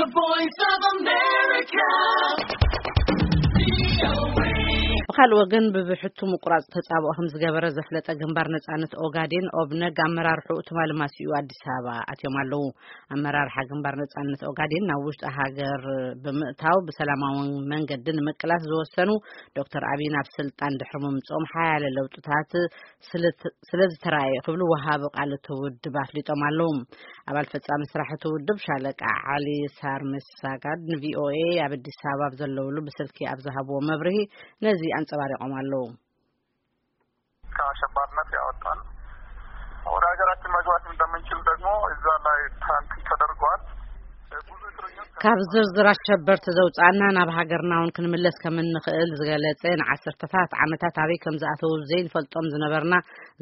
Voice of America. ብኻልእ ወገን፣ ብብሕቱ ምቁራጽ ተጻብኦ ከም ዝገበረ ዘፍለጠ ግንባር ነጻነት ኦጋዴን፣ ኦብነግ፣ ኣመራርሕኡ ትማሊ ማሲኡ ኣዲስ ኣበባ ኣትዮም ኣለዉ። ኣመራርሓ ግንባር ነጻነት ኦጋዴን ናብ ውሽጢ ሃገር ብምእታው ብሰላማዊ መንገዲ ንምቅላስ ዝወሰኑ ዶክተር ኣቢይ ናብ ስልጣን ድሕሪ ምምጽኦም ሓያለ ለውጥታት ስለ ዝተራእየ ክብሉ ወሃቢ ቃል እቲ ውድብ ኣፍሊጦም ኣለዉ። ኣባል ፈጻሚ ስራሕ እቲ ውድብ ሻለቃ ዓሊ ሳርምሳጋድ ንቪኦኤ ኣብ ኣዲስ ኣበባ ኣብ ዘለውሉ ብስልኪ ኣብ ዝሃብዎ መብርሂ ነዚ ኣንጸባሪቖም ኣለዉ። ከአሸባሪነት ያወጣን፣ ወደ ሀገራችን መግባት እንደምንችል ደግሞ እዛ ላይ ትራንት ተደርጓል። ካብ ዝርዝር ኣሸበርቲ ዘውጻና ናብ ሃገርና እውን ክንምለስ ከም እንኽእል ዝገለጸ፣ ንዓሰርተታት ዓመታት ኣበይ ከም ዝኣተዉ ዘይንፈልጦም ዝነበርና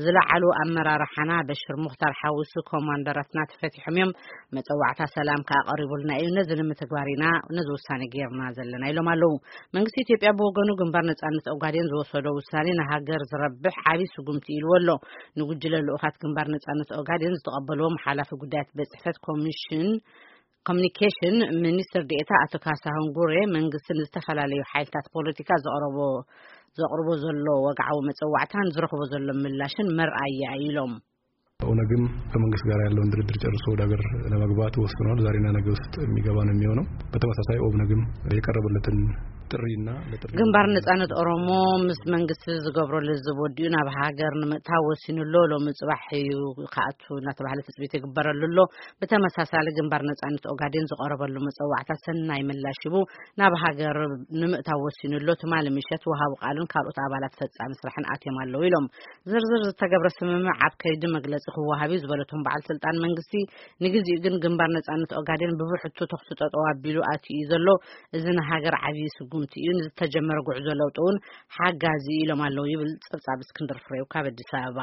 ዝለዓሉ ኣመራርሓና በሽር ሙኽታር ሓዊሱ ኮማንደራትና ተፈቲሖም እዮም። መጸዋዕታ ሰላም ከኣ ቀሪቡልና እዩ። ነዚ ንምትግባር ኢና ነዚ ውሳኔ ጌርና ዘለና ኢሎም ኣለዉ። መንግስቲ ኢትዮጵያ ብወገኑ ግንባር ነጻነት ኦጋዴን ዝወሰዶ ውሳኔ ንሃገር ዝረብሕ ዓቢ ስጉምቲ ኢልዎ ኣሎ። ንጉጅለ ልኡኻት ግንባር ነጻነት ኦጋዴን ዝተቐበልዎም ሓላፊ ጉዳያት ቤት ጽሕፈት ኮሚሽን ኮሚኒኬሽን ሚኒስትር ዴኤታ ኣቶ ካሳሁን ጉሬ፣ መንግስቲ ንዝተፈላለዩ ሓይልታት ፖለቲካ ዘቕረቦ ዘቕርቦ ዘሎ ወግዓዊ መጸዋዕታን ዝረኽቦ ዘሎ ምላሽን መርኣያ ኢሎም። ኦነግም ከመንግስት ጋር ያለውን ድርድር ጨርሶ ወደ ሀገር ለመግባት ወስኗል። ዛሬና ነገ ውስጥ የሚገባ ነው የሚሆነው። በተመሳሳይ ኦብነግም የቀረበለትን ጥሪና ለጥሪ ግንባር ነጻነት ኦሮሞ ምስ መንግስቲ ዝገብሮ ልዝብ ወዲኡ ናብ ሃገር ንምእታው ወሲኑ ኣሎ። ሎሚ ጽባሕ እዩ ክኣቱ እናተባህለ ትጽቢት ይግበረሉ ኣሎ። ብተመሳሳሊ ግንባር ነጻነት ኦጋዴን ዝቐረበሉ መጸዋዕታ ሰናይ ምላሽ ሂቡ ናብ ሃገር ንምእታው ወሲኑ ኣሎ። ትማሊ ምሸት ወሃቢ ቃሉን ካልኦት ኣባላት ፈጻሚ ስራሕን ኣትዮም ኣለዉ ኢሎም። ዝርዝር ዝተገብረ ስምምዕ ኣብ ከይዲ መግለጺ ክወሃብ እዩ ዝበለቶም በዓል ስልጣን መንግስቲ፣ ንግዜኡ ግን ግንባር ነጻነት ኦጋዴን ብብሕቱ ተኹሲ ጠጠው ኣቢሉ ኣትዩ እዩ ዘሎ። እዚ ንሃገር ዓብዪ ስጉምቲ እዩ። ንዝተጀመረ ጉዕዞ ለውጢ እውን ሓጋዚ እዩ ኢሎም ኣለዉ ይብል ጸብጻብ እስክንድር ፍሬው ካብ ኣዲስ ኣበባ።